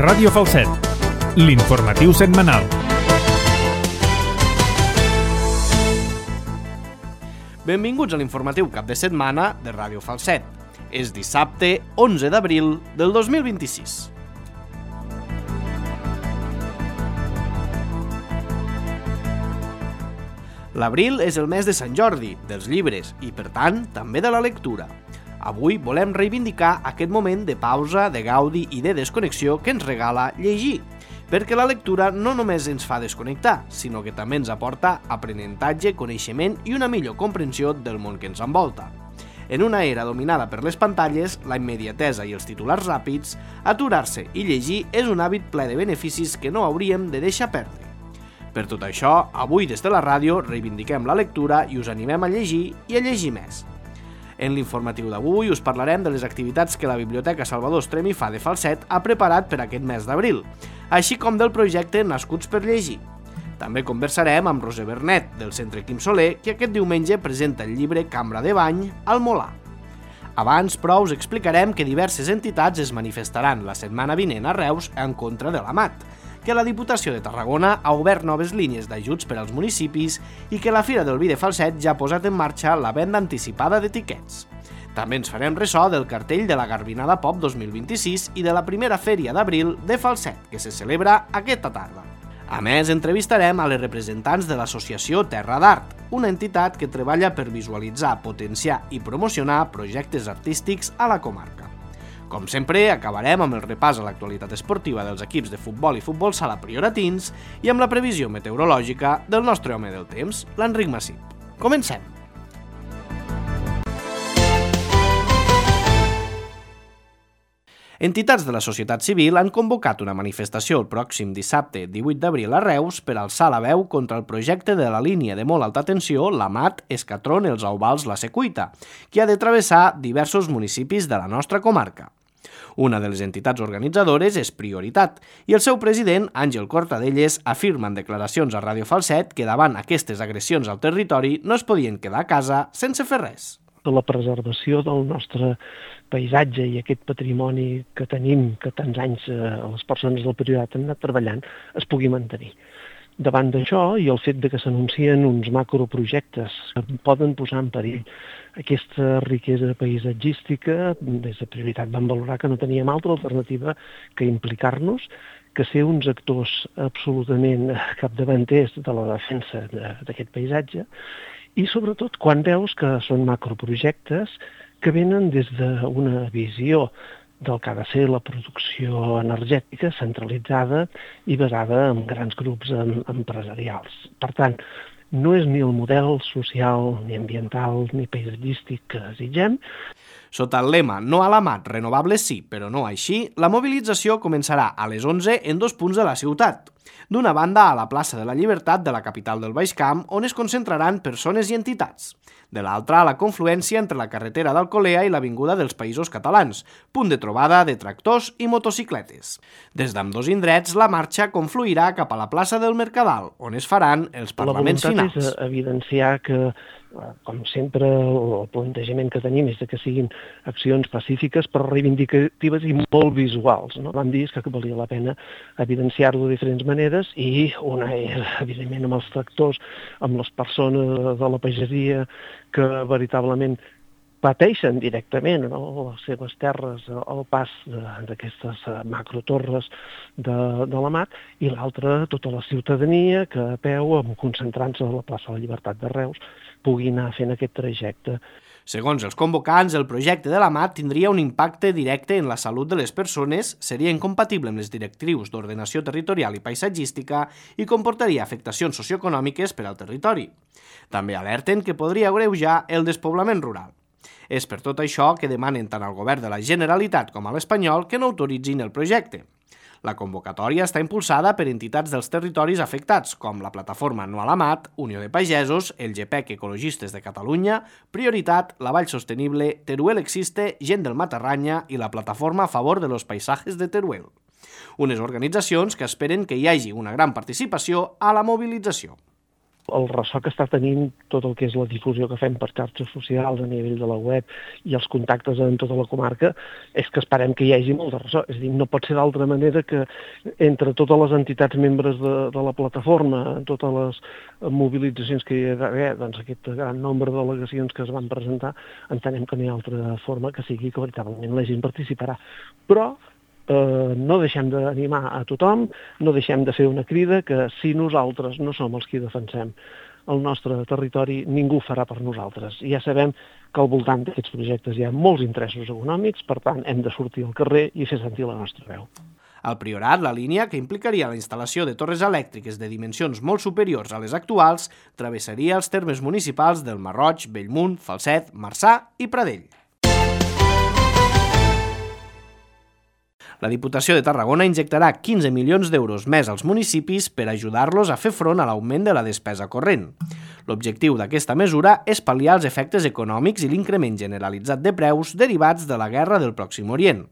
Ràdio Falset, l'informatiu setmanal. Benvinguts a l'informatiu cap de setmana de Ràdio Falset. És dissabte 11 d'abril del 2026. L'abril és el mes de Sant Jordi, dels llibres i, per tant, també de la lectura. Avui volem reivindicar aquest moment de pausa, de gaudi i de desconnexió que ens regala llegir, perquè la lectura no només ens fa desconnectar, sinó que també ens aporta aprenentatge, coneixement i una millor comprensió del món que ens envolta. En una era dominada per les pantalles, la immediatesa i els titulars ràpids, aturar-se i llegir és un hàbit ple de beneficis que no hauríem de deixar perdre. Per tot això, avui des de la ràdio reivindiquem la lectura i us animem a llegir i a llegir més. En l'informatiu d'avui us parlarem de les activitats que la Biblioteca Salvador Estrem i Fa de Falset ha preparat per aquest mes d'abril, així com del projecte Nascuts per Llegir. També conversarem amb Roser Bernet, del Centre Quim Soler, que aquest diumenge presenta el llibre Cambra de Bany al Molar. Abans, però, us explicarem que diverses entitats es manifestaran la setmana vinent a Reus en contra de l'AMAT, que la Diputació de Tarragona ha obert noves línies d'ajuts per als municipis i que la Fira del Vi de Falset ja ha posat en marxa la venda anticipada d'etiquets. També ens farem ressò del cartell de la Garbinada Pop 2026 i de la primera Fèria d'Abril de Falset, que se celebra aquesta tarda. A més, entrevistarem a les representants de l'associació Terra d'Art, una entitat que treballa per visualitzar, potenciar i promocionar projectes artístics a la comarca. Com sempre, acabarem amb el repàs a l'actualitat esportiva dels equips de futbol i futbol sala prioratins i amb la previsió meteorològica del nostre home del temps, l'Enric Massip. Comencem! Entitats de la societat civil han convocat una manifestació el pròxim dissabte 18 d'abril a Reus per alçar la veu contra el projecte de la línia de molt alta tensió l'Amat, Escatron, Els Auvals, La Secuita, que ha de travessar diversos municipis de la nostra comarca. Una de les entitats organitzadores és Prioritat i el seu president, Àngel Cortadelles, afirma en declaracions a Ràdio Falset que davant aquestes agressions al territori no es podien quedar a casa sense fer res. La preservació del nostre paisatge i aquest patrimoni que tenim, que tants anys les persones del Priorat han anat treballant, es pugui mantenir. Davant d'això i el fet de que s'anuncien uns macroprojectes que poden posar en perill aquesta riquesa paisatgística, des de Prioritat vam valorar que no teníem altra alternativa que implicar-nos, que ser uns actors absolutament capdavanters de la defensa d'aquest paisatge, i sobretot quan veus que són macroprojectes que venen des d'una visió del que ha de ser la producció energètica centralitzada i basada en grans grups empresarials. Per tant, no és ni el model social, ni ambiental, ni paisatgístic que desitgem. Sota el lema "No a l'Amat, renovables sí, però no així", la mobilització començarà a les 11 en 2 punts de la ciutat. D'una banda, a la plaça de la Llibertat de la capital del Baix Camp, on es concentraran persones i entitats. De l'altra, a la confluència entre la carretera d'Alcolea i l'Avinguda dels Països Catalans, punt de trobada de tractors i motocicletes. Des d'ambdós indrets, la marxa confluirà cap a la plaça del Mercadal, on es faran els parlaments finals. La voluntat és evidenciar que, com sempre, el plantejament que tenim és que siguin accions pacífiques però reivindicatives i molt visuals. Vam dir que valia la pena evidenciar-ho de diferents maneres i una és, evidentment, amb els tractors, amb les persones de la pagesia que veritablement pateixen directament les seves terres al pas d'aquestes macrotorres de l'Amat, i l'altra, tota la ciutadania que a peu, concentrant-se a la plaça de la Llibertat de Reus, pugui anar fent aquest trajecte. Segons els convocants, el projecte de l'Amat tindria un impacte directe en la salut de les persones, seria incompatible amb les directrius d'ordenació territorial i paisatgística i comportaria afectacions socioeconòmiques per al territori. També alerten que podria agreujar el despoblament rural. És per tot això que demanen tant al govern de la Generalitat com a l'espanyol que no autoritzin el projecte. La convocatòria està impulsada per entitats dels territoris afectats, com la plataforma No a l'Amat, Unió de Pagesos, el GPEC Ecologistes de Catalunya, Prioritat, La Vall Sostenible, Teruel Existe, Gent del Matarranya i la plataforma a favor de los paisajes de Teruel. Unes organitzacions que esperen que hi hagi una gran participació a la mobilització. El ressò que està tenint tot el que és la difusió que fem per xarxes socials a nivell de la web i els contactes en tota la comarca és que esperem que hi hagi molt de ressò. És a dir, no pot ser d'altra manera que entre totes les entitats membres de la plataforma, totes les mobilitzacions que hi ha d'haver, doncs aquest gran nombre de delegacions que es van presentar, entenem que no hi ha altra forma que sigui que veritablement la gent participarà. Però no deixem d'animar a tothom, no deixem de fer una crida que si nosaltres no som els qui defensem el nostre territori, ningú farà per nosaltres. Ja sabem que al voltant d'aquests projectes hi ha molts interessos econòmics, per tant hem de sortir al carrer i fer sentir la nostra veu. Al Priorat, la línia, que implicaria la instal·lació de torres elèctriques de dimensions molt superiors a les actuals, travessaria els termes municipals del Marroig, Bellmunt, Falset, Marçà i Pradell. La Diputació de Tarragona injectarà 15 milions d'euros més als municipis per ajudar-los a fer front a l'augment de la despesa corrent. L'objectiu d'aquesta mesura és pal·liar els efectes econòmics i l'increment generalitzat de preus derivats de la guerra del Pròxim Orient.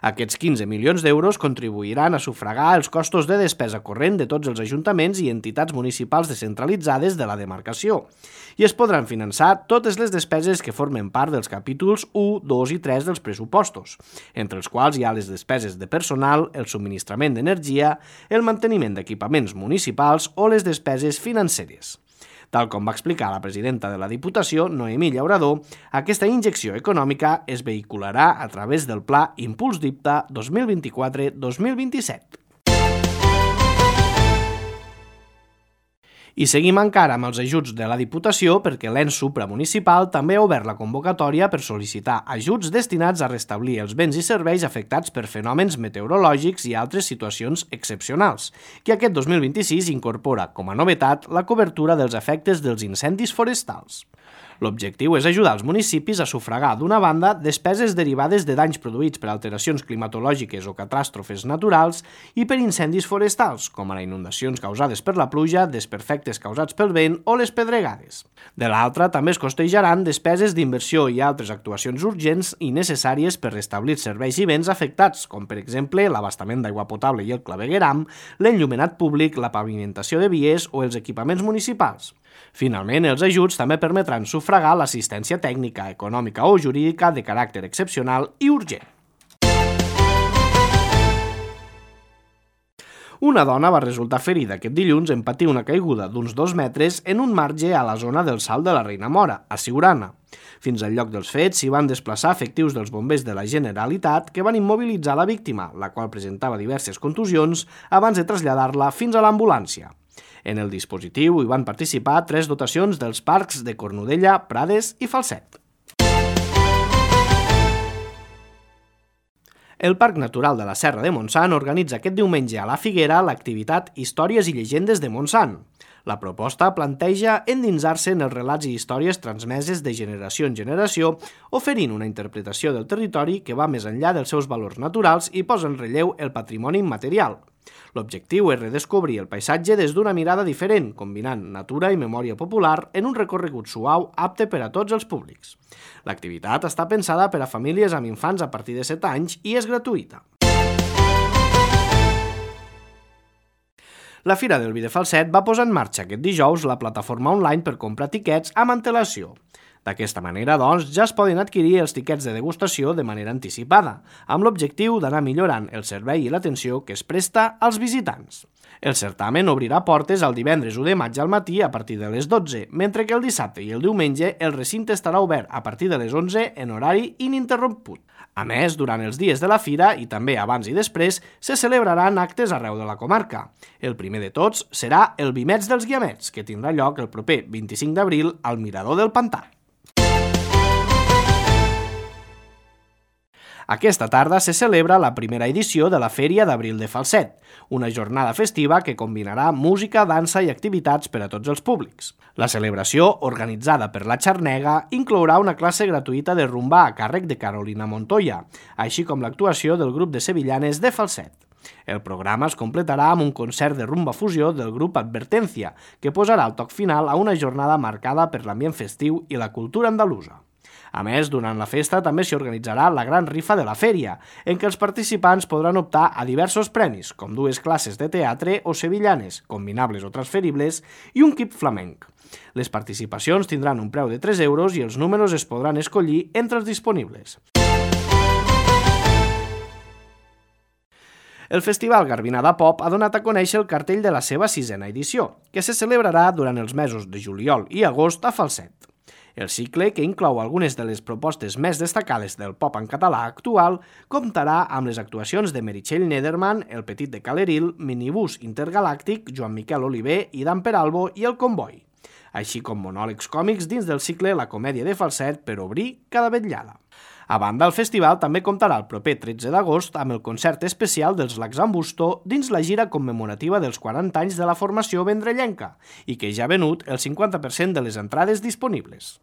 Aquests 15 milions d'euros contribuiran a sufragar els costos de despesa corrent de tots els ajuntaments i entitats municipals descentralitzades de la demarcació i es podran finançar totes les despeses que formen part dels capítols 1, 2 i 3 dels pressupostos, entre els quals hi ha les despeses de personal, el subministrament d'energia, el manteniment d'equipaments municipals o les despeses financeres. Tal com va explicar la presidenta de la Diputació, Noemí Llaurador, aquesta injecció econòmica es vehicularà a través del Pla Impuls DIPTA 2024-2027. I seguim encara amb els ajuts de la Diputació perquè l'ens supramunicipal també ha obert la convocatòria per sol·licitar ajuts destinats a restablir els béns i serveis afectats per fenòmens meteorològics i altres situacions excepcionals, que aquest 2026 incorpora, com a novetat, la cobertura dels efectes dels incendis forestals. L'objectiu és ajudar els municipis a sufragar, d'una banda, despeses derivades de danys produïts per alteracions climatològiques o catàstrofes naturals i per incendis forestals, com ara inundacions causades per la pluja, desperfectes causats pel vent o les pedregades. De l'altra, també es costejaran despeses d'inversió i altres actuacions urgents i necessàries per restablir serveis i béns afectats, com per exemple l'abastament d'aigua potable i el clavegueram, l'enllumenat públic, la pavimentació de vies o els equipaments municipals. Finalment, els ajuts també permetran sufragar l'assistència tècnica, econòmica o jurídica de caràcter excepcional i urgent. Una dona va resultar ferida aquest dilluns en patir una caiguda d'uns 2 metres en un marge a la zona del Salt de la Reina Mora, a Siurana. Fins al lloc dels fets s'hi van desplaçar efectius dels bombers de la Generalitat que van immobilitzar la víctima, la qual presentava diverses contusions, abans de traslladar-la fins a l'ambulància. En el dispositiu hi van participar 3 dotacions dels parcs de Cornudella, Prades i Falset. El Parc Natural de la Serra de Montsant organitza aquest diumenge a la Figuera l'activitat Històries i llegendes de Montsant. La proposta planteja endinsar-se en els relats i històries transmeses de generació en generació, oferint una interpretació del territori que va més enllà dels seus valors naturals i posa en relleu el patrimoni immaterial. L'objectiu és redescobrir el paisatge des d'una mirada diferent, combinant natura i memòria popular en un recorregut suau apte per a tots els públics. L'activitat està pensada per a famílies amb infants a partir de 7 anys i és gratuïta. La Fira del Vi de Falset va posar en marxa aquest dijous la plataforma online per comprar tiquets amb antelació. D'aquesta manera, doncs, ja es poden adquirir els tiquets de degustació de manera anticipada, amb l'objectiu d'anar millorant el servei i l'atenció que es presta als visitants. El certamen obrirà portes el divendres 1 de maig al matí a partir de les 12, mentre que el dissabte i el diumenge el recinte estarà obert a partir de les 11 en horari ininterromput. A més, durant els dies de la fira i també abans i després, se celebraran actes arreu de la comarca. El primer de tots serà el Vimets dels Guiamets, que tindrà lloc el proper 25 d'abril al Mirador del Pantà. Aquesta tarda se celebra la primera edició de la Fèria d'Abril de Falset, una jornada festiva que combinarà música, dansa i activitats per a tots els públics. La celebració, organitzada per la Xarnega, inclourà una classe gratuïta de rumba a càrrec de Carolina Montoya, així com l'actuació del grup de sevillanes de Falset. El programa es completarà amb un concert de rumba fusió del grup Advertencia, que posarà el toc final a una jornada marcada per l'ambient festiu i la cultura andalusa. A més, durant la festa també s'hi organitzarà la gran rifa de la fèria, en què els participants podran optar a diversos premis, com 2 classes de teatre o sevillanes, combinables o transferibles, i un kit flamenc. Les participacions tindran un preu de 3 euros i els números es podran escollir entre els disponibles. El Festival Garbinada Pop ha donat a conèixer el cartell de la seva 6a edició, que se celebrarà durant els mesos de juliol i agost a Falset. El cicle, que inclou algunes de les propostes més destacades del pop en català actual, comptarà amb les actuacions de Meritxell Nederman, El Petit de Caleril, Minibús Intergalàctic, Joan Miquel Oliver, Idan Peralbo i El Comboi, així com monòlegs còmics dins del cicle La Comèdia de Falset per obrir cada vetllada. A banda, el festival també comptarà el proper 13 d'agost amb el concert especial dels Laxambusto dins la gira commemorativa dels 40 anys de la formació vendrellenca i que ja ha venut el 50% de les entrades disponibles.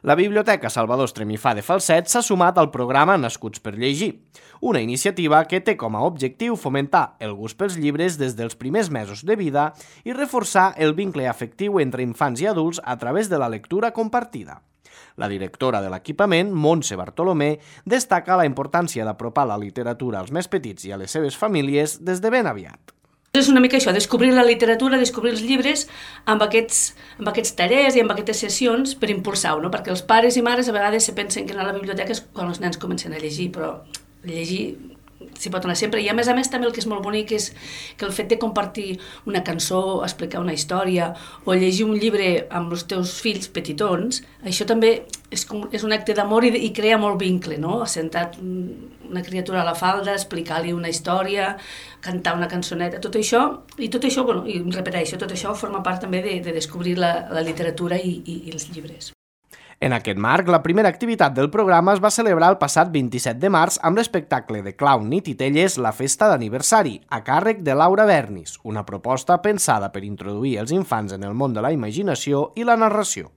La Biblioteca Salvador Estremifà de Falset s'ha sumat al programa Nascuts per Llegir, una iniciativa que té com a objectiu fomentar el gust pels llibres des dels primers mesos de vida i reforçar el vincle afectiu entre infants i adults a través de la lectura compartida. La directora de l'equipament, Montse Bartolomé, destaca la importància d'apropar la literatura als més petits i a les seves famílies des de ben aviat. És una mica això, descobrir la literatura, descobrir els llibres amb aquests tallers i amb aquestes sessions per impulsar-ho, no? Perquè els pares i mares a vegades se pensen que anar a la biblioteca és quan els nens comencen a llegir, però llegir s'hi pot anar sempre. I a més també el que és molt bonic és que el fet de compartir una cançó, explicar una història o llegir un llibre amb els teus fills petitons, això també és un acte d'amor i crea molt vincle, no? Assentat una criatura a la falda, explicar-li una història, cantar una cançoneta, tot això, bueno, i repeteixo, tot això forma part també de descobrir la literatura i els llibres. En aquest marc, la primera activitat del programa es va celebrar el passat 27 de març amb l'espectacle de clown i titelles La Festa d'Aniversari, a càrrec de Laura Bernis, una proposta pensada per introduir els infants en el món de la imaginació i la narració.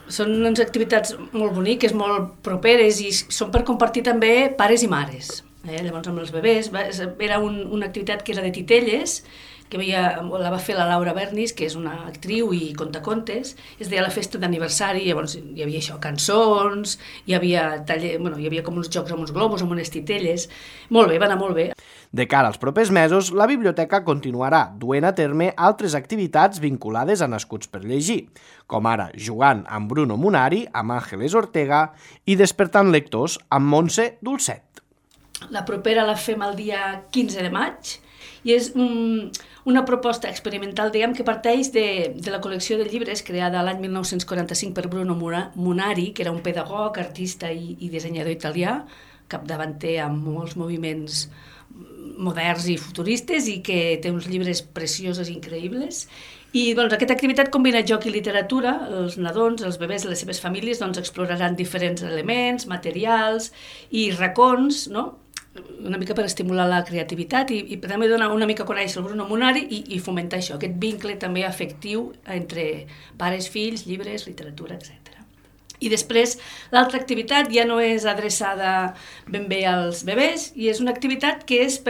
Són unes activitats molt boniques, molt properes i són per compartir també pares i mares. Llavors amb els bebès, era una activitat que era de titelles, que la va fer la Laura Bernis, que és una actriu i contacontes, es deia La Festa d'Aniversari, llavors hi havia això, cançons, hi havia com uns jocs amb uns globus, amb unes titelles, molt bé, va anar molt bé. De cara als propers mesos, la biblioteca continuarà duent a terme altres activitats vinculades a Nascuts per Llegir, com ara Jugant amb Bruno Munari, amb Àngeles Ortega i Despertant lectors amb Montse Dulcet. La propera la fem el dia 15 de maig i és una proposta experimental, diguem, que parteix de la col·lecció de llibres creada l'any 1945 per Bruno Munari, que era un pedagog, artista i dissenyador italià, capdavanter amb molts moviments moderns i futuristes i que té uns llibres preciosos i increïbles. I doncs, aquesta activitat combina joc i literatura. Els nadons, els bebès i les seves famílies exploraran diferents elements, materials i racons, no? Una mica per estimular la creativitat i també donar una mica a conèixer el Bruno Munari i fomentar això, aquest vincle també afectiu entre pares, fills, llibres, literatura, etc. I després, l'altra activitat ja no és adreçada ben bé als bebès i és una activitat que es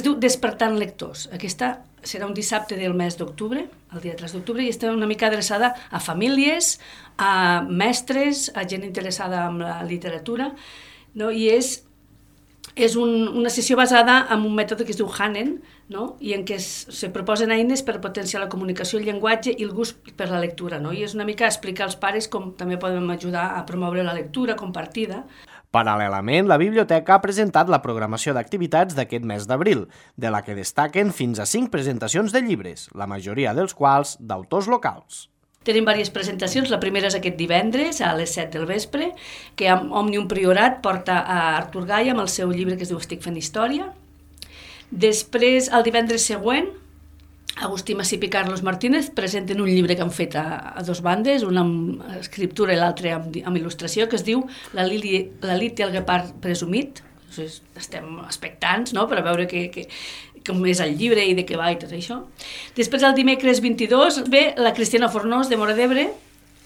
diu Despertant lectors. Aquesta serà un dissabte del mes d'octubre, el dia 3 d'octubre, i està una mica adreçada a famílies, a mestres, a gent interessada en la literatura, no? I és una sessió basada en un mètode que es diu Hanen, no? I en què se proposen eines per potenciar la comunicació, el llenguatge i el gust per la lectura, no? I és una mica explicar als pares com també podem ajudar a promoure la lectura compartida. Paral·lelament, la biblioteca ha presentat la programació d'activitats d'aquest mes d'abril, de la que destaquen fins a 5 presentacions de llibres, la majoria dels quals d'autors locals. Tenim diverses presentacions. La primera és aquest divendres a les 7 del vespre, que Òmnium Priorat porta a Artur Gai amb el seu llibre que es diu Estic fent història. Després, el divendres següent, Agustí Massip i Carlos Martínez presenten un llibre que han fet a dos bandes, una amb escriptura i l'altra amb il·lustració, que es diu La Lilith i el guepard presumit. Estem expectants, no?, per a veure com és el llibre i de què va i tot això. Després, el dimecres 22, ve la Cristina Fornós, de Móra d'Ebre,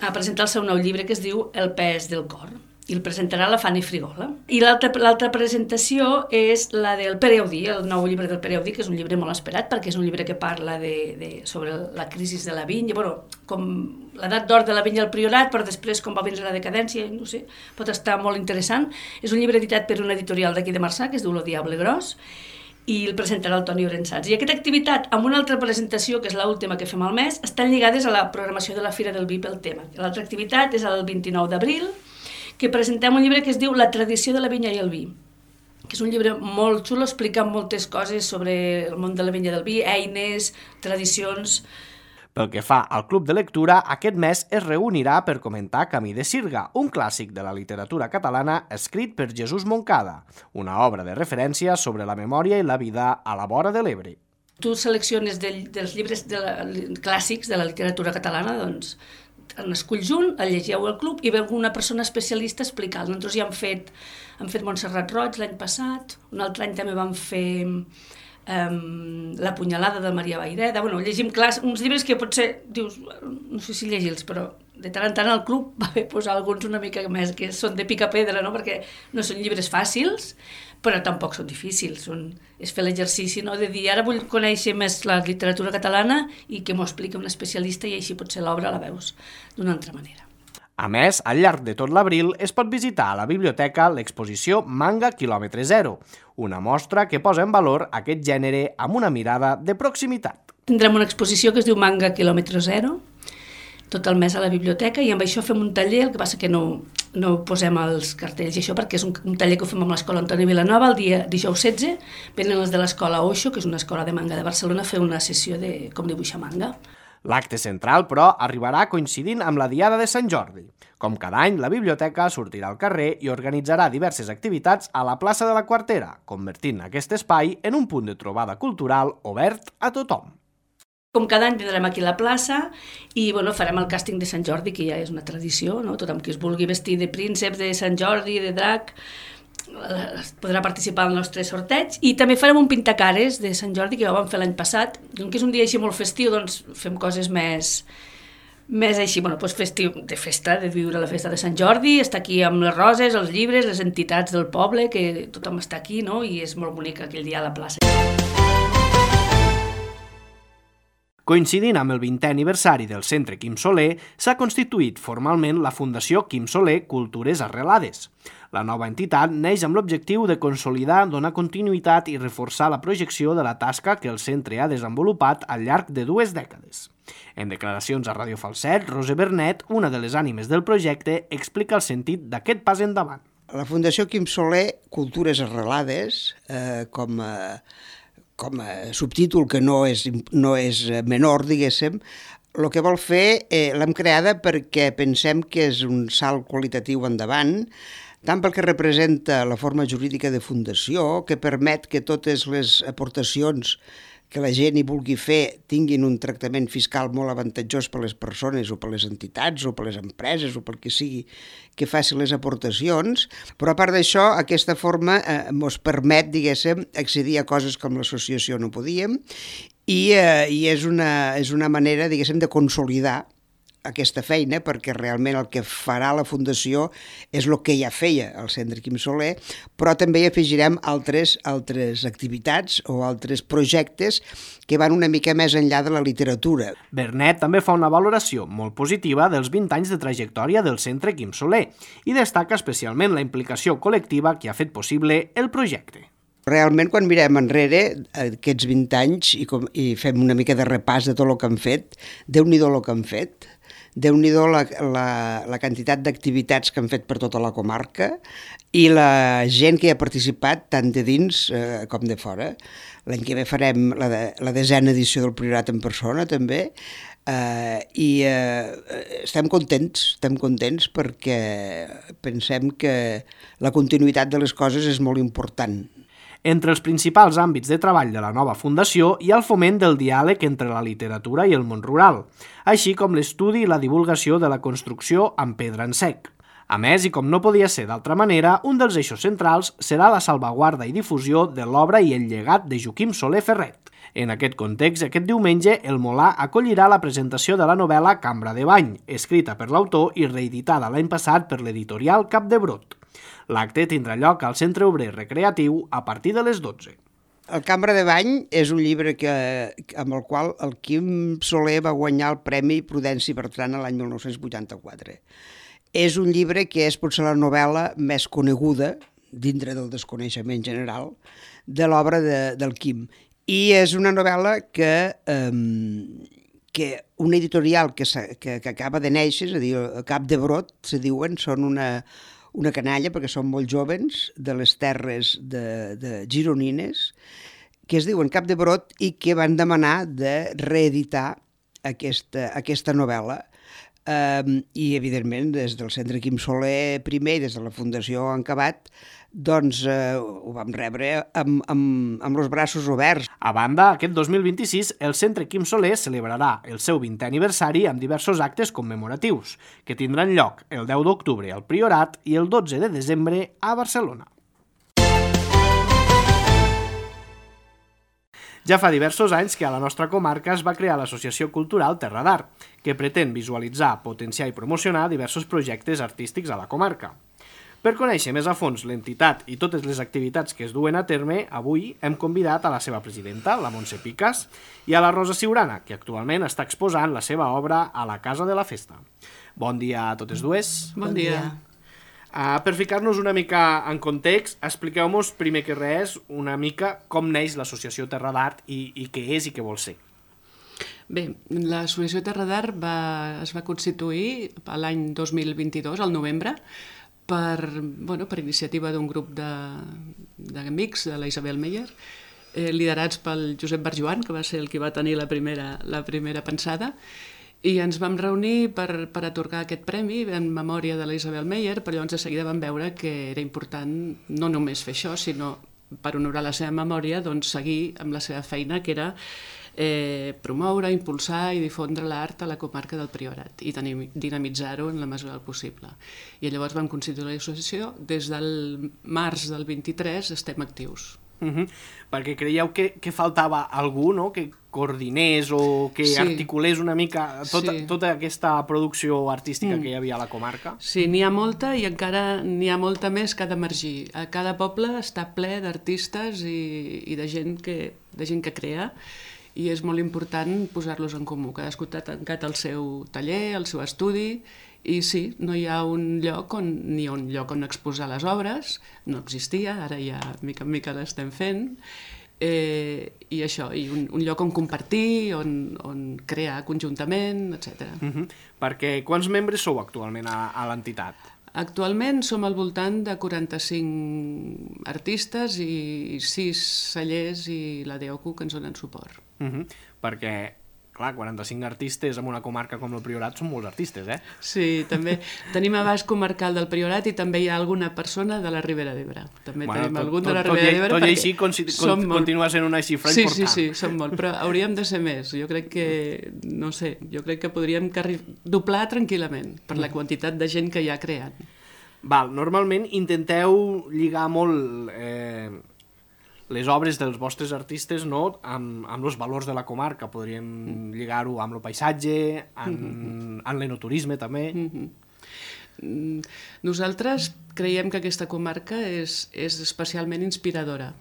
a presentar el seu nou llibre que es diu El pes del cor. i el presentarà la Fanny Frigola. I l'altra presentació és la del Pere Audí, el nou llibre del Pere Audí, que és un llibre molt esperat perquè és un llibre que parla sobre la crisi de la vinya, com l'edat d'or de la vinya al Priorat, però després com va vindre la decadència, no sé, pot estar molt interessant. És un llibre editat per una editorial d'aquí de Marçà, que es diu Lo Diable Gros, i el presentarà el Toni Orensats. I aquesta activitat, amb una altra presentació, que és l'última que fem al mes, estan lligades a la programació de la Fira del Vi pel tema. L'altra activitat és el 29 d'abril, que presentem un llibre que es diu La tradició de la vinya i el vi, que és un llibre molt xulo, explicant moltes coses sobre el món de la vinya i del vi, eines, tradicions. Pel que fa al Club de Lectura, aquest mes es reunirà per comentar Camí de Sirga, un clàssic de la literatura catalana escrit per Jesús Moncada, una obra de referència sobre la memòria i la vida a la vora de l'Ebre. Tu selecciones dels llibres clàssics de la literatura catalana, doncs en esculls un, el llegieu al club i veu una persona especialista explicant. Nosaltres ja hem fet Montserrat Roig l'any passat, un altre any també vam fer La punyalada de Maria Vaireda. Llegim uns llibres que potser dius, no sé si llegir-los, però de tant en tant al club va bé posar alguns una mica més, que són de pica pedra, no? Perquè no són llibres fàcils, però tampoc són difícils. És fer l'exercici, no? De dir, ara vull conèixer més la literatura catalana i que m'ho expliqui un especialista i així potser l'obra la veus d'una altra manera. A més, al llarg de tot l'abril es pot visitar a la biblioteca l'exposició Manga Quilòmetre Zero, una mostra que posa en valor aquest gènere amb una mirada de proximitat. Tindrem una exposició que es diu Manga Quilòmetre Zero, tot el mes a la biblioteca, i amb això fem un taller, el que passa que no posem els cartells i això, perquè és un taller que ho fem amb l'Escola Antoni Vilanova el dia dijous 16, venen els de l'Escola Oixo, que és una escola de manga de Barcelona, a fer una sessió de com dibuixar manga. L'acte central, però, arribarà coincidint amb la Diada de Sant Jordi. Com cada any, la biblioteca sortirà al carrer i organitzarà diverses activitats a la plaça de la Quartera, convertint aquest espai en un punt de trobada cultural obert a tothom. Com cada any vindrem aquí a la plaça i farem el càsting de Sant Jordi, que ja és una tradició, no? Tothom que es vulgui vestir de príncep, de Sant Jordi, de drac, podrà participar al nostre sorteig. I també farem un pintacares de Sant Jordi, que ja ho vam fer l'any passat. Com que és un dia així molt festiu, doncs fem coses més així, festiu, de festa, de viure la festa de Sant Jordi, estar aquí amb les roses, els llibres, les entitats del poble, que tothom està aquí, no? I és molt bonic aquell dia a la plaça. Coincidint amb el 20è aniversari del Centre Quim Soler, s'ha constituït formalment la Fundació Quim Soler Cultures Arrelades. La nova entitat neix amb l'objectiu de consolidar, donar continuïtat i reforçar la projecció de la tasca que el centre ha desenvolupat al llarg de 2 dècades. En declaracions a Ràdio Falset, Roser Bernet, una de les ànimes del projecte, explica el sentit d'aquest pas endavant. La Fundació Quim Soler Cultures Arrelades, com a subtítol que no és menor, diguéssim, el que vol fer l'hem creada perquè pensem que és un salt qualitatiu endavant, tant pel que representa la forma jurídica de fundació, que permet que totes les aportacions que la gent hi vulgui fer tinguin un tractament fiscal molt avantatjós per les persones o per les entitats o per les empreses o per qui sigui que faci les aportacions, però a part d'això aquesta forma ens permet, diguéssim, accedir a coses com l'associació no podíem i és una manera, diguéssim, de consolidar aquesta feina, perquè realment el que farà la Fundació és el que ja feia el Centre Quim Soler, però també hi afegirem altres activitats o altres projectes que van una mica més enllà de la literatura. Bernet també fa una valoració molt positiva dels 20 anys de trajectòria del Centre Quim Soler i destaca especialment la implicació col·lectiva que ha fet possible el projecte. Realment, quan mirem enrere aquests 20 anys i fem una mica de repàs de tot el que han fet, Déu-n'hi-do el que han fet, Déu-n'hi-do la quantitat d'activitats que han fet per tota la comarca i la gent que hi ha participat tant de dins com de fora. L'any que ve farem la 10a edició del Priorat en persona també i estem contents perquè pensem que la continuïtat de les coses és molt important. Entre els principals àmbits de treball de la nova fundació hi ha el foment del diàleg entre la literatura i el món rural, així com l'estudi i la divulgació de la construcció amb pedra en sec. A més, i com no podia ser d'altra manera, un dels eixos centrals serà la salvaguarda i difusió de l'obra i el llegat de Joaquim Soler Ferret. En aquest context, aquest diumenge, el Molà acollirà la presentació de la novel·la Cambra de Bany, escrita per l'autor i reeditada l'any passat per l'editorial Capdebrot. L'acte tindrà lloc al Centre Obrer Recreatiu a partir de les 12. El Cambra de Bany és un llibre amb el qual el Quim Soler va guanyar el Premi Prudenci Bertran l'any 1984. És un llibre que és potser la novel·la més coneguda, dintre del desconeixement general, de l'obra del Quim. I és una novel·la que una editorial que acaba de néixer, és a dir, Capdebrot, se diuen, són una canalla, perquè són molt joves, de les terres de gironines, que es diuen Capdebrot i que van demanar de reeditar aquesta novel·la. I, evidentment, des del Centre Quim Soler primer i des de la Fundació Encabat, doncs ho vam rebre amb els braços oberts. A banda, aquest 2026, el Centre Quim Soler celebrarà el seu 20è aniversari amb diversos actes commemoratius, que tindran lloc el 10 d'octubre al Priorat i el 12 de desembre a Barcelona. Ja fa diversos anys que a la nostra comarca es va crear l'Associació Cultural Terra d'Art, que pretén visualitzar, potenciar i promocionar diversos projectes artístics a la comarca. Per conèixer més a fons l'entitat i totes les activitats que es duen a terme, avui hem convidat a la seva presidenta, la Montse Picas, i a la Rosa Ciurana, que actualment està exposant la seva obra a la Casa de la Festa. Bon dia a totes dues. Bon dia. Per ficar-nos una mica en context, expliqueu-nos primer que res una mica com neix l'Associació Terra d'Art i què és i què vol ser. Bé, l'Associació Terra d'Art es va constituir l'any 2022, al novembre, per iniciativa d'un grup d'amics de la Isabel Meyer, liderats pel Josep Barjuan, que va ser el que va tenir la primera pensada, i ens vam reunir per atorgar aquest premi en memòria de la Isabel Meyer, però llavors de seguida vam veure que era important no només fer això, sinó per honorar la seva memòria, doncs seguir amb la seva feina, que era promoure, impulsar i difondre l'art a la comarca del Priorat i dinamitzar-ho en la mesura del possible. I llavors vam constituir l'associació. Des del març del 23 estem actius. Perquè creieu que faltava algú, no?, que coordinés o que articulés una mica tota aquesta producció artística que hi havia a la comarca? Sí, n'hi ha molta i encara n'hi ha molta més que ha d'emergir. A cada poble està ple d'artistes i de gent que crea, i és molt important posar-los en comú. Cadascú ha tancat el seu taller, el seu estudi, i sí, no hi ha un lloc on exposar les obres, no existia, ara ja mica en mica l'estem fent, i això, i un lloc on compartir, on crear conjuntament, etc. Perquè quants membres sou actualment a l'entitat? Actualment som al voltant de 45 artistes i 6 cellers i la DEOCU que ens donen suport. Perquè, clar, 45 artistes en una comarca com el Priorat són molts artistes, Sí, també tenim abast comarcal del Priorat i també hi ha alguna persona de la Ribera d'Ebre. També tenim algun de la Ribera d'Ebre. Tot i així continua sent una xifra important. Sí, som molt, però hauríem de ser més. Jo crec que podríem doblar tranquil·lament per la quantitat de gent que hi ha creant. Normalment intenteu lligar molt les obres dels vostres artistes, no?, amb els valors de la comarca. Podríem lligar-ho amb el paisatge, amb l'enoturisme també. Nosaltres creiem que aquesta comarca és especialment inspiradora,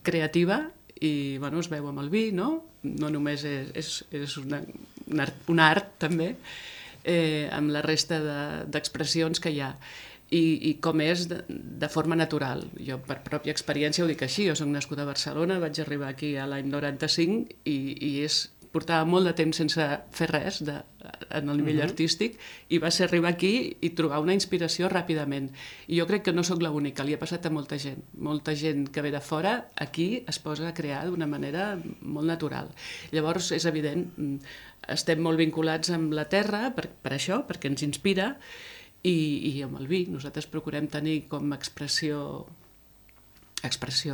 creativa, i es veu amb el vi, no? No només és un art també, amb la resta d'expressions que hi ha. I com és de forma natural. Jo per pròpia experiència ho dic així, jo soc nascuda a Barcelona, vaig arribar aquí a l'any 95 i portava molt de temps sense fer res en el nivell artístic, i va ser arribar aquí i trobar una inspiració ràpidament. I jo crec que no sóc l'única, li ha passat a molta gent que ve de fora, aquí es posa a crear d'una manera molt natural. Llavors és evident, estem molt vinculats amb la terra per això, perquè ens inspira, i amb el vi. Nosaltres procurem tenir com a expressió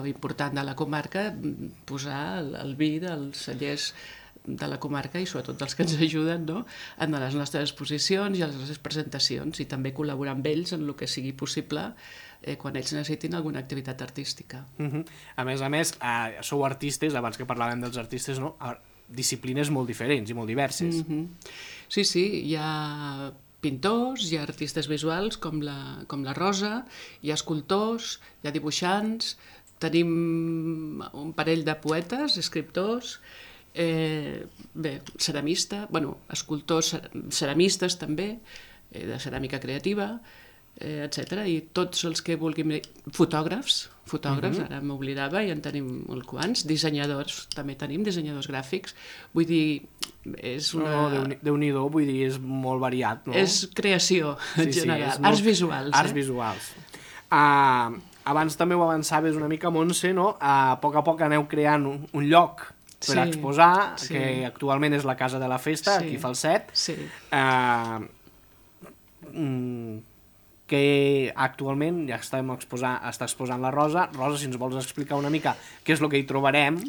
important de la comarca posar el vi dels cellers de la comarca i sobretot dels que ens ajuden, no?, en les nostres exposicions i a les nostres presentacions, i també col·laborar amb ells en el que sigui possible quan ells necessitin alguna activitat artística. A més, sou artistes, abans que parlàvem dels artistes, no? Disciplines molt diferents i molt diverses. Sí, hi ha pintors, hi ha artistes visuals com la Rosa, hi ha escultors, hi ha dibuixants, tenim un parell de poetes, escriptors, escultors, ceramistes també, de ceràmica creativa, etc. I tots els que vulguin... Fotògrafs, ara m'oblidava, i en tenim molt quants. Dissenyadors, també tenim dissenyadors gràfics. Vull dir, és una... Déu-n'hi-do, vull dir, és molt variat, no? És creació, en general. Arts visuals. Arts visuals. Abans també ho avançaves una mica, Montse, no? A poc aneu creant un lloc per exposar, que actualment és la Casa de la Festa, aquí a Falset. Que actualment ja està exposant la Rosa. Rosa, si ens vols explicar una mica què és el que hi trobarem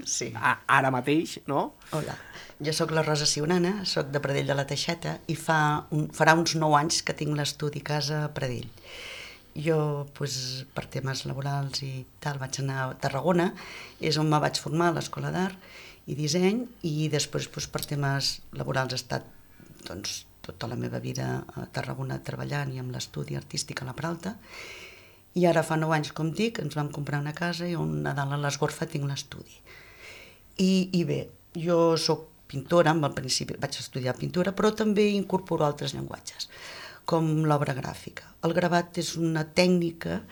ara mateix, no? Hola, jo sóc la Rosa Sionana, sóc de Pradell de la Teixeta i farà uns 9 anys que tinc l'estudi Casa Pradell. Jo, per temes laborals i tal, vaig anar a Tarragona, és on me vaig formar a l'Escola d'Art i Disseny, i després per temes laborals he estat tota la meva vida a Tarragona treballant i amb l'estudi artístic a la Peralta, i ara fa 9 anys, com dic, ens vam comprar una casa i on a dalt a l'Esgorfa tinc l'estudi. I bé, jo sóc pintora, al principi vaig estudiar pintura, però també incorporo altres llenguatges, com l'obra gràfica. El gravat és una tècnica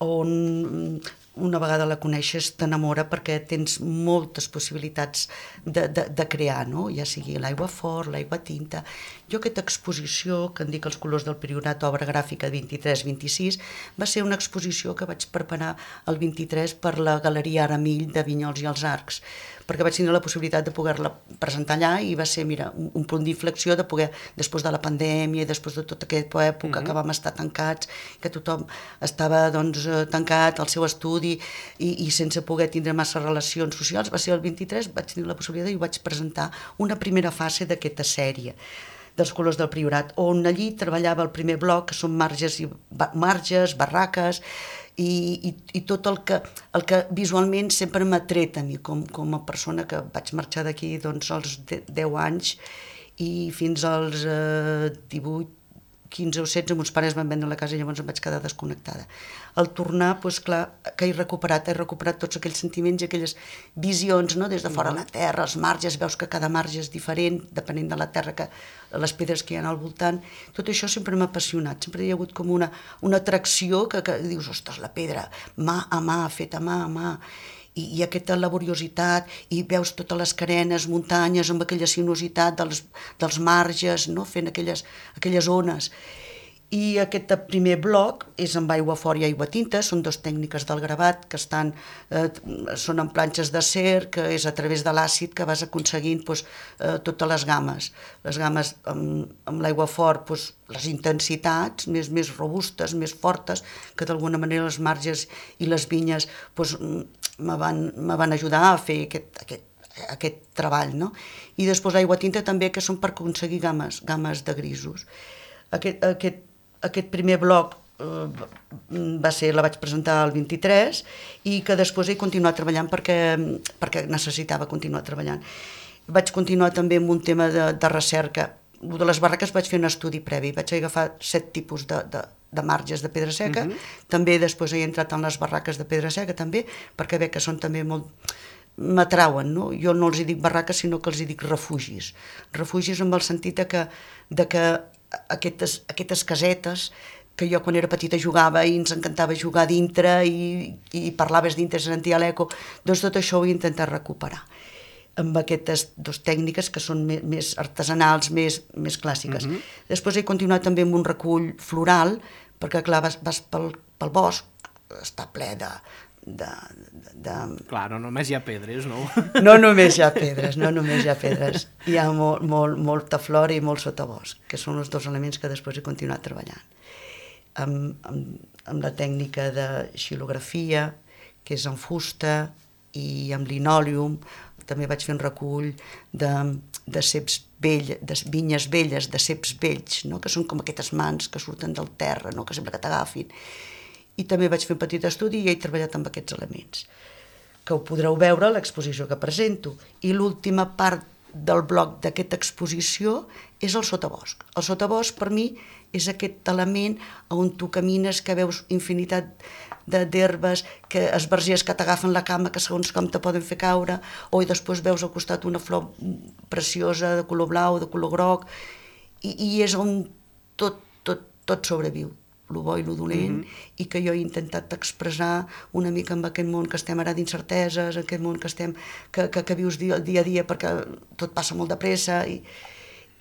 on una vegada la coneixes t'enamora perquè tens moltes possibilitats de crear, no? Ja sigui l'aigua fort, l'aigua tinta. Jo aquesta exposició, que en dic Els colors del Priorat, obra gràfica 23-26, va ser una exposició que vaig preparar el 23 per la Galeria Aramill de Vinyols i els Arcs, perquè vaig tenir la possibilitat de poder-la presentar allà i va ser, mira, un punt d'inflexió de poder, després de la pandèmia, després de tota aquesta època que vam estar tancats, que tothom estava tancat al seu estudi i sense poder tindre massa relacions socials, va ser el 23, vaig tenir la possibilitat i vaig presentar una primera fase d'aquesta sèrie dels colors del Priorat, on allí treballava el primer bloc, que són marges, barraques, i tot el que visualment sempre m'ha tret a mi, com a persona que vaig marxar d'aquí als 10 anys i fins als 18, 15 o 16, meus pares van vendre la casa i llavors em vaig quedar desconnectada. Al tornar, clar, que he recuperat tots aquells sentiments i aquelles visions, no? Des de fora la terra, els marges, veus que cada marge és diferent, depenent de la terra, les pedres que hi ha al voltant. Tot això sempre m'ha apassionat, sempre hi ha hagut com una atracció que dius, ostres, la pedra, mà a mà, feta mà a mà, i aquesta laboriositat, i veus totes les carenes, muntanyes, amb aquella sinuositat dels marges, no? Fent aquelles ones. I aquest primer bloc és amb aigua fort i aigua tinta, són 2 tècniques del gravat que són en planxes d'acer, que és a través de l'àcid que vas aconseguint totes les games. Les games amb l'aigua fort, les intensitats més robustes, més fortes, que d'alguna manera els marges i les vinyes me van ajudar a fer aquest treball, no? I després l'aigua tinta també, que són per aconseguir games de grisos. Aquest primer bloc la vaig presentar el 23 i que després he continuat treballant perquè necessitava continuar treballant. Vaig continuar també amb un tema de recerca. De les barraques vaig fer un estudi previ, vaig agafar 7 tipus de marges de pedra seca, també després he entrat en les barraques de pedra seca també, perquè veig que són també molt... m'atrauen, no? Jo no els hi dic barraques, sinó que els hi dic refugis. Refugis amb el sentit de que aquestes casetes que jo quan era petita jugava i ens encantava jugar dintre i parlaves dintre, sentia l'eco, doncs tot això ho he intentat recuperar amb aquestes 2 tècniques que són més artesanals, més clàssiques. Després he continuat també amb un recull floral, perquè clar, vas pel bosc, està ple de... Clar, no només hi ha pedres, no? No només hi ha pedres, hi ha molta flora i molt sotabosc, que són els 2 elements que després he continuat treballant. Amb la tècnica de xilografia, que és en fusta, i amb linòleum, també vaig fer un recull de ceps velles, de vinyes velles, de ceps vells, no? Que són com aquestes mans que surten del terra, no? Que sembla que t'agafin. I també vaig fer un petit estudi i he treballat amb aquests elements, que ho podreu veure a l'exposició que presento. I l'última part del bloc d'aquesta exposició és el sotabosc. El sotabosc, per mi, és aquest element on tu camines, que veus infinitat d'herbes, que esbargers que t'agafen la cama, que segons com te poden fer caure, o després veus al costat una flor preciosa de color blau, de color groc, i és on tot sobreviu, lo bo i lo dolent, i que jo he intentat expressar una mica amb aquest món que estem ara d'incerteses, aquest món que vius dia a dia perquè tot passa molt de pressa. I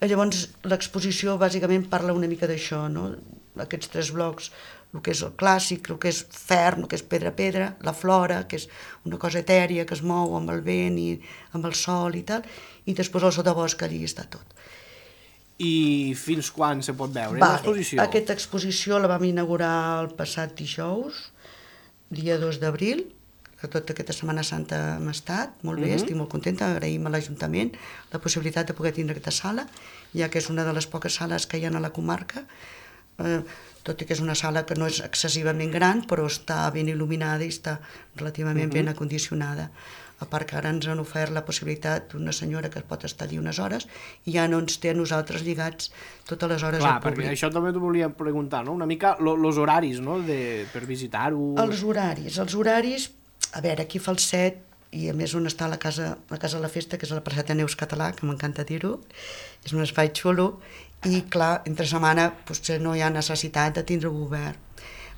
llavors l'exposició bàsicament parla una mica d'això, no? Aquests 3 blocs, el que és el clàssic, el que és ferm, el que és pedra, la flora, que és una cosa etèria que es mou amb el vent i amb el sol i tal, i després el sotabosc, allí està tot. I fins quan se pot veure l'exposició? Aquesta exposició la vam inaugurar el passat dijous, dia 2 d'abril, que tota aquesta Setmana Santa hem estat, molt bé, estic molt contenta, agraïm a l'Ajuntament la possibilitat de poder tindre aquesta sala, ja que és una de les poques sales que hi ha a la comarca, tot i que és una sala que no és excessivament gran, però està ben il·luminada i està relativament ben acondicionada. A part que ara ens han ofert la possibilitat d'una senyora que pot estar allí unes hores i ja no ens té a nosaltres lligats totes les hores al públic. Perquè això també t'ho volia preguntar, no? Una mica els horaris, no? Per visitar-ho. Els horaris, a veure, aquí fa el 7, i a més on està la casa de la festa, que és la Plaça Ateneus Català, que m'encanta dir-ho, és un espai xulo, i clar, entre setmana potser no hi ha necessitat de tindre-ho obert.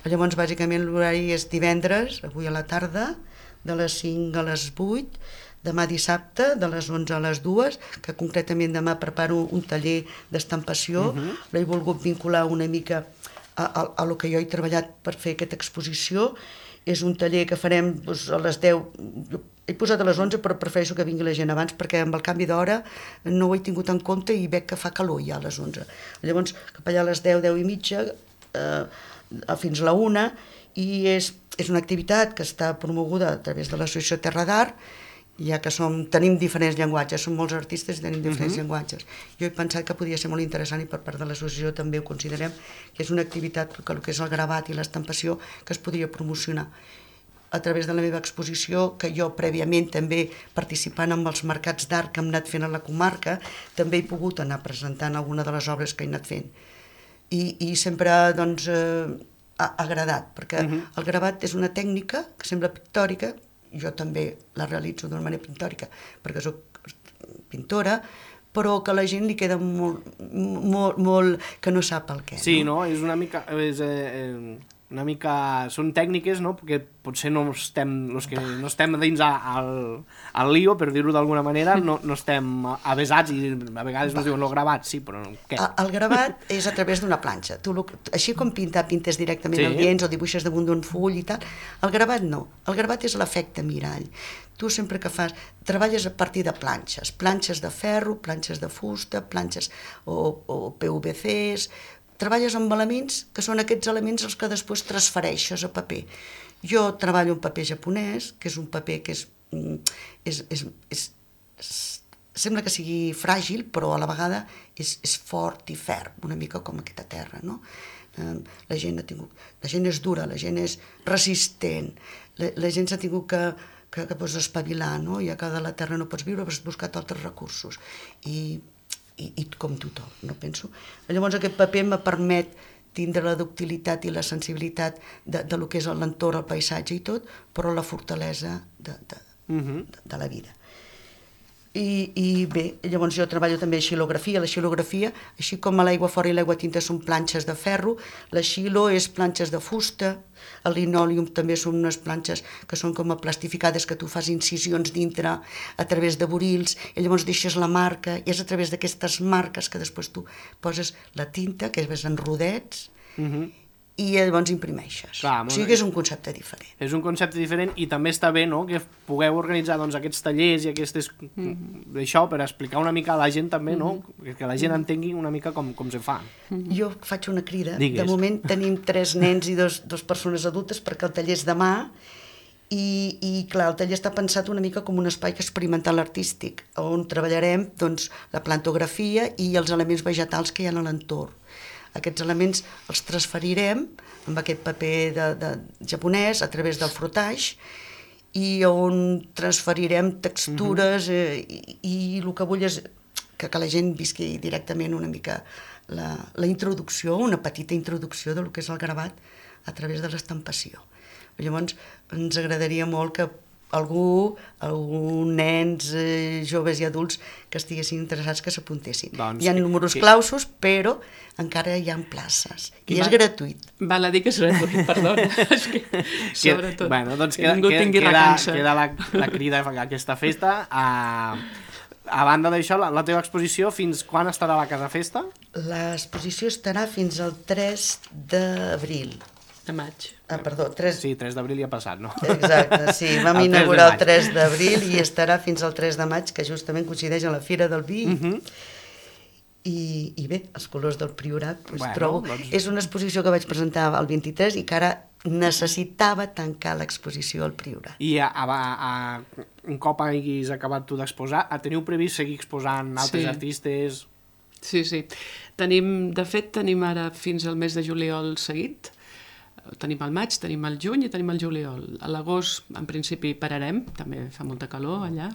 Llavors, bàsicament, l'horari és divendres, avui a la tarda, de les 5 a les 8, demà dissabte, de les 11 a les 2, que concretament demà preparo un taller d'estampació, l'he volgut vincular una mica a lo que jo he treballat per fer aquesta exposició. És un taller que farem a les 10, he posat a les 11 però prefereixo que vingui la gent abans perquè amb el canvi d'hora no ho he tingut en compte i veig que fa calor ja a les 11. Llavors cap allà a les 10, 10 i mitja, fins a la 1, i és una activitat que està promoguda a través de l'Associació Terra d'Art, ja que tenim diferents llenguatges, som molts artistes i tenim diferents llenguatges. Jo he pensat que podia ser molt interessant i per part de l'associació també ho considerem, que és una activitat que el que és el gravat i l'estampació que es podria promocionar a través de la meva exposició, que jo prèviament també participant en els mercats d'art que hem anat fent a la comarca, també he pogut anar presentant alguna de les obres que he anat fent. I sempre doncs ha agradat, perquè el gravat és una tècnica que sembla pictòrica, jo també la realitzo d'una manera pictòrica perquè soc pintora, però que a la gent li queda molt que no sap el què. Sí, no? És una mica... són tècniques, no? Perquè potser els que no estem dins al lío, per dir-ho d'alguna manera, no estem avesats i a vegades ens diuen el gravat, sí, però què? El gravat és a través d'una planxa. Així com pintes directament el lienç o dibuixes damunt d'un full i tal, el gravat no. El gravat és l'efecte mirall. Tu sempre que treballes a partir de planxes de ferro, planxes de fusta, planxes o PVCs, treballes amb elements que són aquests elements els que després transfereixes a paper. Jo treballo en paper japonès, que és un paper que sembla que sigui fràgil, però a la vegada és fort i ferm, una mica com aquesta terra, no? La gent és dura, la gent és resistent, la gent s'ha tingut que espavilar, no? Ja que de la terra no pots viure, has buscat altres recursos. I com tothom, no penso. Llavors aquest paper me permet tindre la ductilitat i la sensibilitat de lo que és l'entorn, el paisatge i tot, però la fortalesa de la vida. I bé, llavors jo treballo també xilografia. La xilografia, així com l'aigua fora i l'aigua tinta són planxes de ferro, la xilo és planxes de fusta, el linòleum també són unes planxes que són com plastificades, que tu fas incisions dintre a través de burils, i llavors deixes la marca, i és a través d'aquestes marques que després tu poses la tinta, que és en rodets, i llavors imprimeixes. Clar, o sigui que és un concepte diferent. És un concepte diferent i també està bé, no?, que pugueu organitzar aquests tallers i això per explicar una mica a la gent també, no?, que la gent entengui una mica com se fa. Jo faig una crida. Digues. De moment tenim 3 nens i 2 persones adultes perquè el taller és demà I clar, el taller està pensat una mica com un espai experimental artístic, on treballarem doncs, la plantografia i els elements vegetals que hi ha a l'entorn. Aquests elements els transferirem amb aquest paper de japonès a través del frotage i on transferirem textures i el que vull és que la gent visqui directament una mica la introducció, una petita introducció del que és el gravat a través de l'estampació. Llavors, ens agradaria molt que algú, nens, joves i adults que estiguessin interessats que s'apuntessin. Hi ha números clausos, però encara hi ha places. I és gratuït. Val a dir que és gratuït, perdona. Sobretot. Bueno, doncs queda la crida a aquesta festa. A banda d'això, la teva exposició, fins quan estarà a la Casa Festa? L'exposició estarà fins al 3 d'abril. De maig. Perdó, 3... Sí, 3 d'abril ja ha passat, no? Exacte, sí. Vam inaugurar el 3 d'abril i estarà fins al 3 de maig, que justament coincideix amb la Fira del Vi. I bé, els colors del Priorat, trobo... És una exposició que vaig presentar el 23 i que ara necessitava tancar l'exposició al Priorat. I un cop haguis acabat tu d'exposar, teniu previst seguir exposant altres artistes? Sí. De fet, tenim ara fins al mes de juliol seguit. Tenim el maig, tenim el juny i tenim el juliol. A l'agost, en principi, pararem, també fa molta calor allà.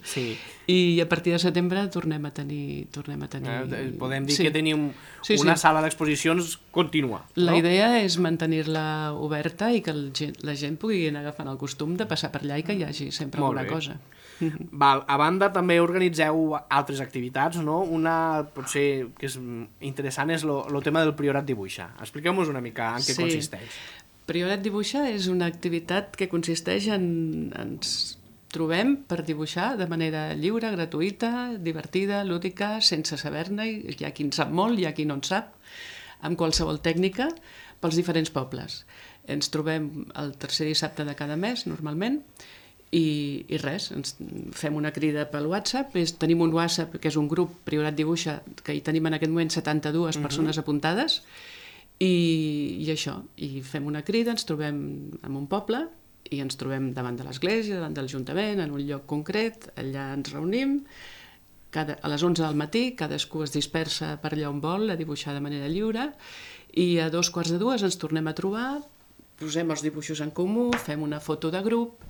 Sí. I a partir de setembre tornem a tenir... Podem dir que tenim una sala d'exposicions contínua. La idea és mantenir-la oberta i que la gent pugui anar agafant el costum de passar per allà i que hi hagi sempre alguna cosa. Val. A banda, també organitzeu altres activitats, no? Una, potser, que és interessant, és el tema del Priorat Dibuixa. Expliqueu-nos una mica en què consisteix. Priorat Dibuixa és una activitat que consisteix en... Ens trobem per dibuixar de manera lliure, gratuïta, divertida, lúdica, sense saber-ne. Hi ha qui en sap molt, hi ha qui no en sap, amb qualsevol tècnica, pels diferents pobles. Ens trobem el tercer dissabte de cada mes, normalment, i res, ens fem una crida pel WhatsApp. Tenim un WhatsApp que és un grup Priorat Dibuixa, que hi tenim en aquest moment 72 persones apuntades, i això, i fem una crida, ens trobem en un poble i ens trobem davant de l'església, davant de l'Ajuntament, en un lloc concret, allà ens reunim, a les 11 del matí cadascú es dispersa per allà on vol a dibuixar de manera lliure, i a 2:45 ens tornem a trobar, posem els dibuixos en comú, fem una foto de grup,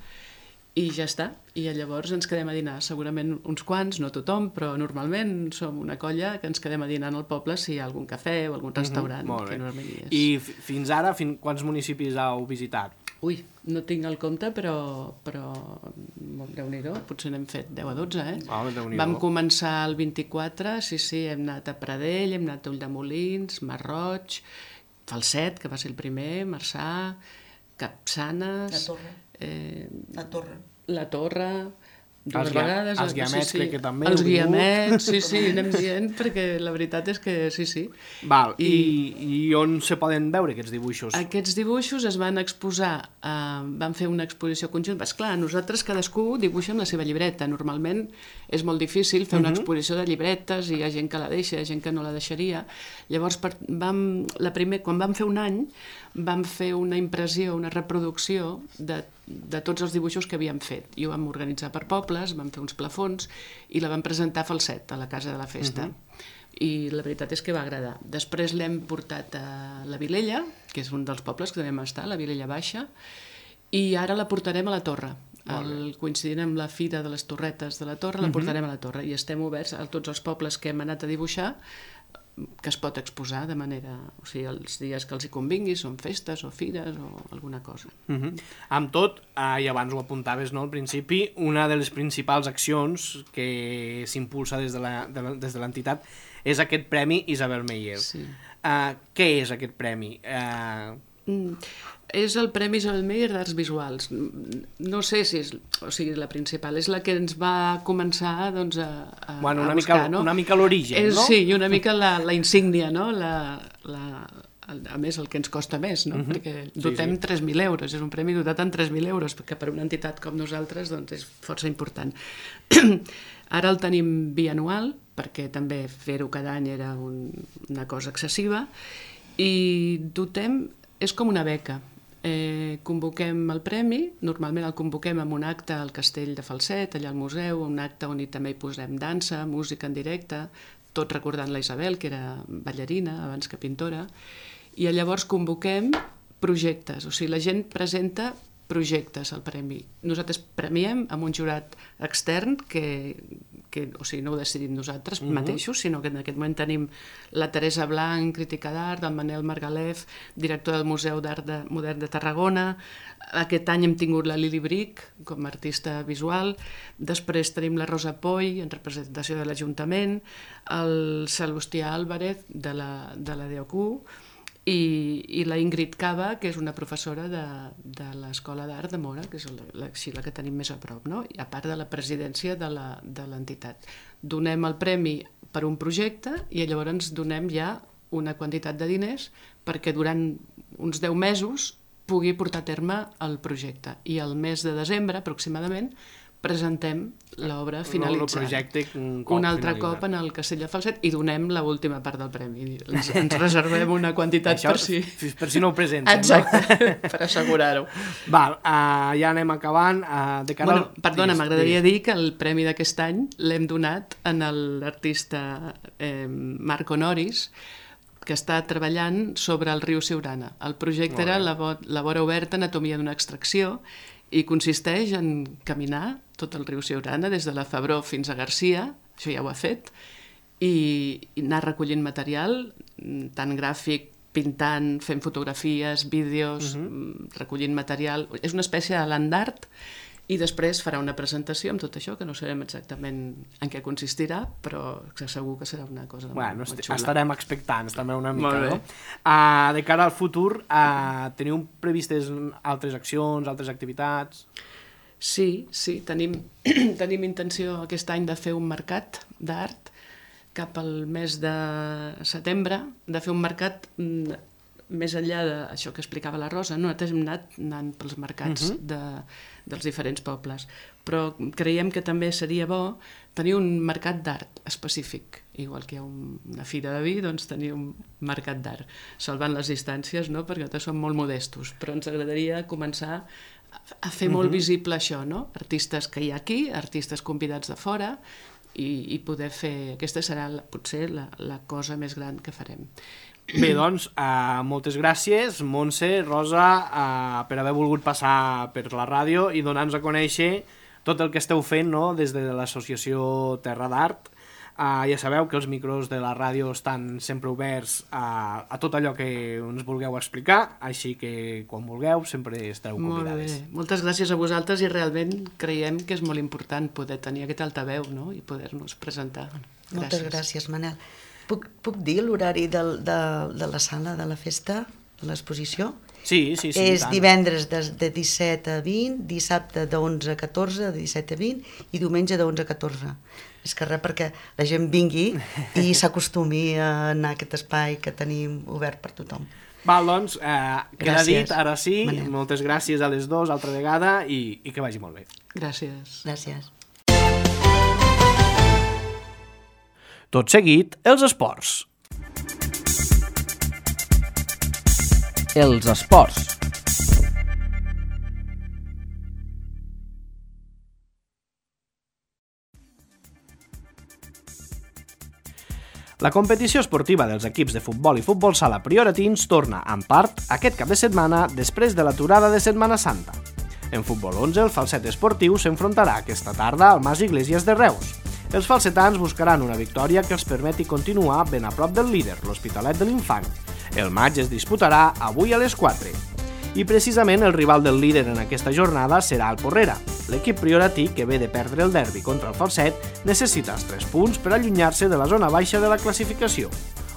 i ja està. I llavors ens quedem a dinar. Segurament uns quants, no tothom, però normalment som una colla que ens quedem a dinar al poble si hi ha algun cafè o algun restaurant. Que normalment hi és. I fins ara, quants municipis heu visitat? Ui, no tinc el compte, però Déu-n'hi-do, potser n'hem fet 10 a 12, Vam començar el 24, sí, hem anat a Pradell, hem anat a Ulldemolins, Masroig, Falset, que va ser el primer, Marçà, Capçanes... La Torre, dues vegades. Els Guiamets crec que també. Els Guiamets, sí, anem dient, perquè la veritat és que sí. Val, i on se poden veure aquests dibuixos? Aquests dibuixos es van exposar, van fer una exposició conjunta. Esclar, nosaltres cadascú dibuixa amb la seva llibreta. Normalment és molt difícil fer una exposició de llibretes i hi ha gent que la deixa, hi ha gent que no la deixaria. Llavors, quan vam fer un any, vam fer una impressió, una reproducció de tots els dibuixos que havíem fet. I ho vam organitzar per pobles, vam fer uns plafons i la vam presentar a Falset, a la Casa de la Festa. I la veritat és que va agradar. Després l'hem portat a la Vilella, que és un dels pobles que també vam estar, la Vilella Baixa, i ara la portarem a la Torre. Coincidint amb la Fira de les Torretes de la Torre, la portarem a la Torre. I estem oberts a tots els pobles que hem anat a dibuixar, que es pot exposar de manera... O sigui, els dies que els hi convingui, són festes o fires o alguna cosa. Amb tot, i abans ho apuntaves, no, al principi, una de les principals accions que s'impulsa des de l'entitat és aquest Premi Isabel Meyer. Sí. Què és aquest premi? És el Premi Isabel Meyer d'Arts Visuals. No sé si és la principal, és la que ens va començar a buscar, no? Una mica l'origen, no? Sí, i una mica la insígnia, no? A més, el que ens costa més, no? Perquè dotem 3.000 euros, és un premi dotat en 3.000 euros, que per una entitat com nosaltres és força important. Ara el tenim bianual, perquè també fer-ho cada any era una cosa excessiva, i dotem... És com una beca. convoquem el premi, normalment el convoquem amb un acte al Castell de Falset, allà al museu, un acte on també hi posem dansa, música en directe, tot recordant la Isabel, que era ballarina abans que pintora, i llavors convoquem projectes, o sigui, la gent presenta projectes al premi. Nosaltres premiem amb un jurat extern que o sigui, no ho decidim nosaltres mateixos, sinó que en aquest moment tenim la Teresa Blanc, crítica d'art, el Manel Margalef, director del Museu d'Art Modern de Tarragona. Aquest any hem tingut la Lili Bric com a artista visual, després tenim la Rosa Poy en representació de l'Ajuntament, el Salustià Álvarez de la DOQ, i la Ingrid Cava, que és una professora de l'Escola d'Art de Móra, que és la que tenim més a prop, no? I a part de la presidència de l'entitat. Donem el premi per un projecte i llavors ens donem ja una quantitat de diners perquè durant uns 10 mesos pugui portar a terme el projecte. I al mes de desembre, aproximadament, presentem l'obra finalitzada. El projecte un altre cop en el Castell de Falset i donem l'última part del premi. Ens reservem una quantitat per si no ho presenten. Exacte, per assegurar-ho. Val, ja anem acabant. Perdona, m'agradaria dir que el premi d'aquest any l'hem donat a l'artista Marc Honoris, que està treballant sobre el riu Siurana. El projecte era la vora oberta, anatomia d'una extracció, i consisteix en caminar tot el riu Siurana, des de la Febró fins a Garcia, això ja ho ha fet, i anar recollint material, tant gràfic, pintant, fent fotografies, vídeos, recollint material. És una espècie de land art, i després farà una presentació amb tot això, que no sabem exactament en què consistirà, però segur que serà una cosa molt xula. Estarem expectants també una mica, no? De cara al futur, teniu previstes altres accions, altres activitats? Sí, tenim intenció aquest any de fer un mercat d'art cap al mes de setembre, de fer un mercat més enllà d'això que explicava la Rosa. Nosaltres hem anat pels mercats dels diferents pobles, però creiem que també seria bo tenir un mercat d'art específic, igual que hi ha una fira de vi, doncs tenir un mercat d'art, salvant les distàncies, no? Perquè nosaltres som molt modestos, però ens agradaria començar a fer molt visible això, no? Artistes que hi ha aquí, artistes convidats de fora, i poder fer... Aquesta serà potser la cosa més gran que farem. Bé, doncs, moltes gràcies, Montse, Rosa, per haver volgut passar per la ràdio i donar-nos a conèixer tot el que esteu fent, no?, des de l'associació Terra d'Art. Ja sabeu que els micros de la ràdio estan sempre oberts a tot allò que ens vulgueu explicar, així que quan vulgueu sempre estareu convidades. Molt bé, moltes gràcies a vosaltres i realment creiem que és molt important poder tenir aquest altaveu, no?, i poder-nos presentar. Moltes gràcies, Manel. Puc dir l'horari de la sala de la festa, de l'exposició? Sí. És divendres de 17 a 20, dissabte de 11 a 14, de 17 a 20, i diumenge de 11 a 14. És que res perquè la gent vingui i s'acostumi a anar a aquest espai que tenim obert per tothom. Val, doncs, queda dit, ara sí, Manel. Moltes gràcies a les dues altra vegada i que vagi molt bé. Gràcies. Gràcies. Tot seguit, els esports. Els esports. La competició esportiva dels equips de futbol i futbol sala prioratins torna, en part, aquest cap de setmana després de l'aturada de Setmana Santa. En futbol 11, el Falset Esportiu s'enfrontarà aquesta tarda al Mas Iglesias de Reus. Els falsetans buscaran una victòria que els permeti continuar ben a prop del líder, l'Hospitalet de l'Infant. El maig es disputarà avui a les 4. I precisament el rival del líder en aquesta jornada serà el Porrera. L'equip prioratí, que ve de perdre el derbi contra el Falset, necessita els 3 punts per allunyar-se de la zona baixa de la classificació.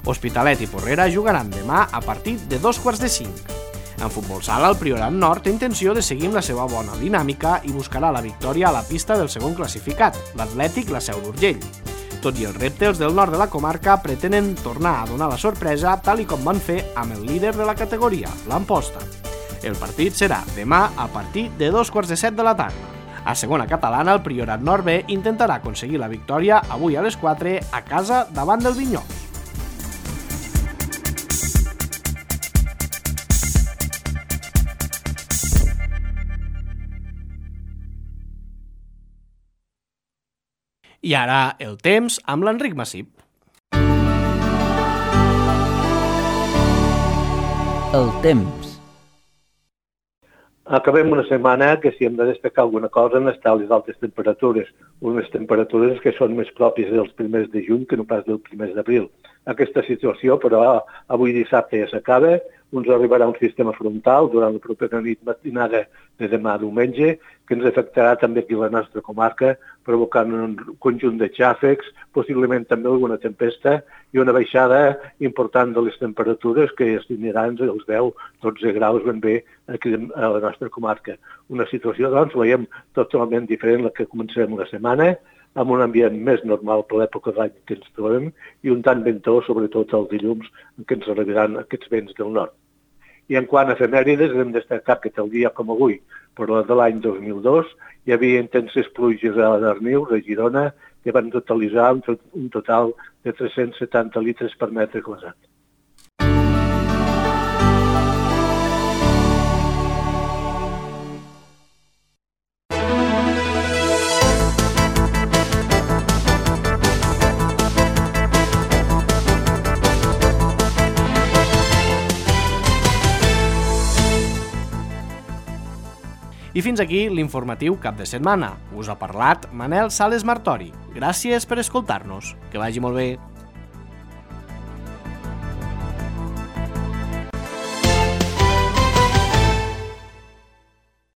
Hospitalet i Porrera jugaran demà a partir de 2:45. En futbol sala, el Priorat Nord té intenció de seguir amb la seva bona dinàmica i buscarà la victòria a la pista del segon classificat, l'Atlètic La Seu d'Urgell. Tot i els reptes del nord de la comarca pretenen tornar a donar la sorpresa tal i com van fer amb el líder de la categoria, l'Amposta. El partit serà demà a partir de 2:15 de la tarda. A segona catalana, el Priorat Nord B intentarà aconseguir la victòria avui a les 4 a casa davant del Vinyols. I ara el temps amb l'Enric Massip. El temps. Acabem una setmana que si hem de destacar alguna cosa han estat les altes temperatures, unes temperatures que són més pròpies dels primers de juny que no pas dels primers d'abril. Aquesta situació, però, avui dissabte ja s'acaba, ens arribarà un sistema frontal durant la propera nit matinada de demà diumenge, que ens afectarà també aquí a la nostra comarca, provocant un conjunt de xàfecs, possiblement també alguna tempesta i una baixada important de les temperatures que es tindran els 10-12 graus ben bé aquí a la nostra comarca. Una situació, doncs, veiem totalment diferent a la que començarem la setmana, amb un ambient més normal per l'època d'any que ens trobem i un tant ventós, sobretot els dilluns, en què ens arribaran aquests vents del nord. I en quant a efemèrides, hem destacat que tal dia com avui, per la de l'any 2002, hi havia intenses pluges a Darnius, a Girona, que van totalitzar un total de 370 litres per metre quadrat. I fins aquí l'informatiu cap de setmana. Us ha parlat Manel Sales Martori. Gràcies per escoltar-nos. Que vagi molt bé.